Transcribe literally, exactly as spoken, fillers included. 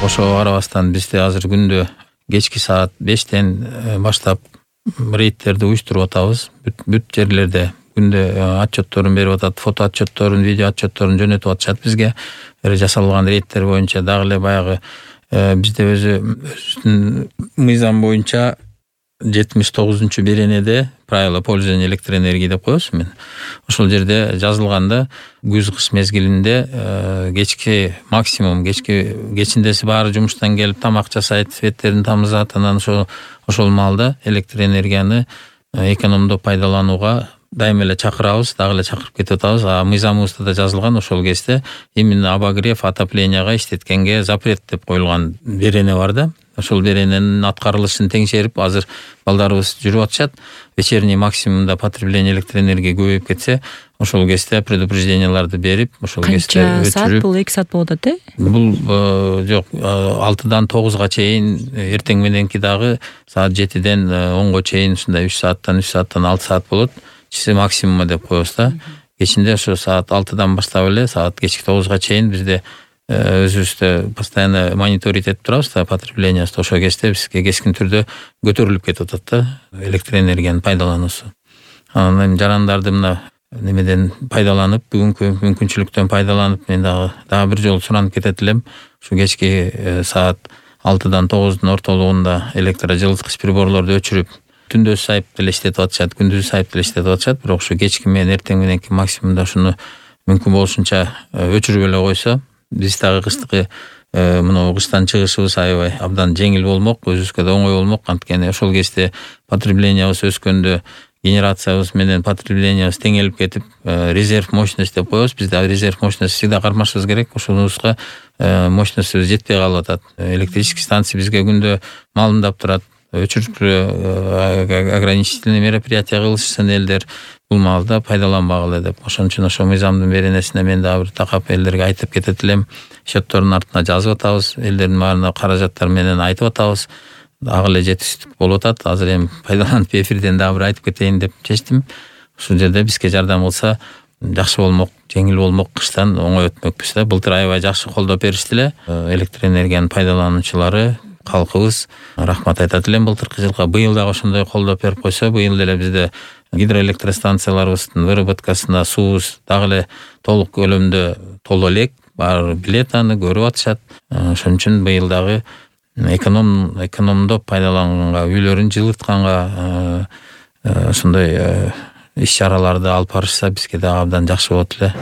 Ошого карабастан бизде азыр күндө кечки саат бештен баштап рейдтерди уюштуруп атабыз. Бүт, бүт жерлерде күндө отчетторун берип атат, фото отчетторун, видео отчетторун жөнөтүп атышат бизге. Жасалган рейдтер боюнча дагы эле баягы бизде өзү өзүнүн мыйзам боюнча жетимиш тогузунчу беренеде правила пользования электроэнергией деп коебуз мен. Ошол жерде жазылганда күз кыш мезгилинде кечки максимум кечки кечиндеси баары жумуштан келип тамак жасайт, светтерин тамызат, анан ошол ошол маалда электроэнергияны экономдоп пайдаланууга дайыма эле чакырабыз, дагы эле чакырып кетип атабыз. А мыйзамыбызда да жазылган ошол кезде именно обогрев, отоплениега иштеткенге запрет деп коюлган берене бар да. Ошол берененин аткарылышын теңшерип азыр балдарыбыз жүрүп атышат. Вечерний максимумда потребление электроэнергия көбөйүп кетсе, ошол кезде предупрежденияларды берип, ошол кезде өчүрүп. Канча саат бул? эки саат болот атат, э? Бул жок, алтыдан тогузга чейин, эртең мененки дагы саат жетиден онго чейин ушундай үч сааттан үч сааттан алты саат болот. Чиси максимума деп коебуз да. Кечинде ошо саат алтыдан баштап эле саат кечки тогузга чейин бизде өзүбүздө постоянно мониторить этип турабыз да потреблениябызды. Ошол кезде бизге кескин түрдө көтөрүлүп кетип атат да электроэнергиянын пайдалануусу. Анан жарандарды мына немеден пайдаланып, бүгүнкү мүмкүнчүлүктөн пайдаланып, мен дагы дагы бир жолу суранып кетет элем. Ушу кечки саат алтыдан тогуздун ортолугунда электрожылыткыч приборлорду өчүрүп, түндө сайып деле иштетип атышат, күндүз сайып деле иштетип атышат, бирок ушу кечки менен эртең мененки максимумда ушуну мүмкүн болушунча өчүрүп эле койсо, биз дагы кыштыкы мына кыштан чыгышыбыз аябай абдан жеңил болмок, өзүбүзгө да оңой болмок. Анткени ошол кезде потреблениябыз өскөндө генерациябыз менен потреблениябыз теңелип кетип, резерв мощность деп коебуз. Бизде резерв мощность всегда кармашыбыз керек. Ошонубузга мощностьбуз жетпей калып атат. Электрический станция бизге күндө малымдап турат. Өчүрүп ограничительный мероприятия кылышсын элдер, бул маалда пайдаланбагыла деп. Ошон үчүн ошо мыйзамдын беренесине мен дагы бир такап элдерге айтып кетет элем. Счеттордун артына жазып атабыз, элдердин баарына каражаттар менен айтып атабыз. Дагы эле жетишсиздик болуп атат. Азыр эми пайдаланып эфирден дагы бир айтып кетейин деп чечтим. Ушул жерде бизге жардам кылса жакшы болмок, жеңил болмок, кыштан оңой өтмөкпүз да. Былтыр аябай жакшы колдоп беришти эле электроэнергиянын пайдалануучулары, калкыбыз. Рахмат айтат элем былтыркы жылга. Быйыл дагы ошондой колдоп берип койсо, быйыл деле бизде гидроэлектростанцияларыбыздын выработкасына суубуз дагы эле толук көлөмдө толо элек. Баары билет аны, көрүп атышат. Ошон үчүн быйыл дагы эконом экономдоп пайдаланганга, үйлөрүн жылытканга ошондой иш чараларды алып барышса бизге дагы абдан жакшы болот эле.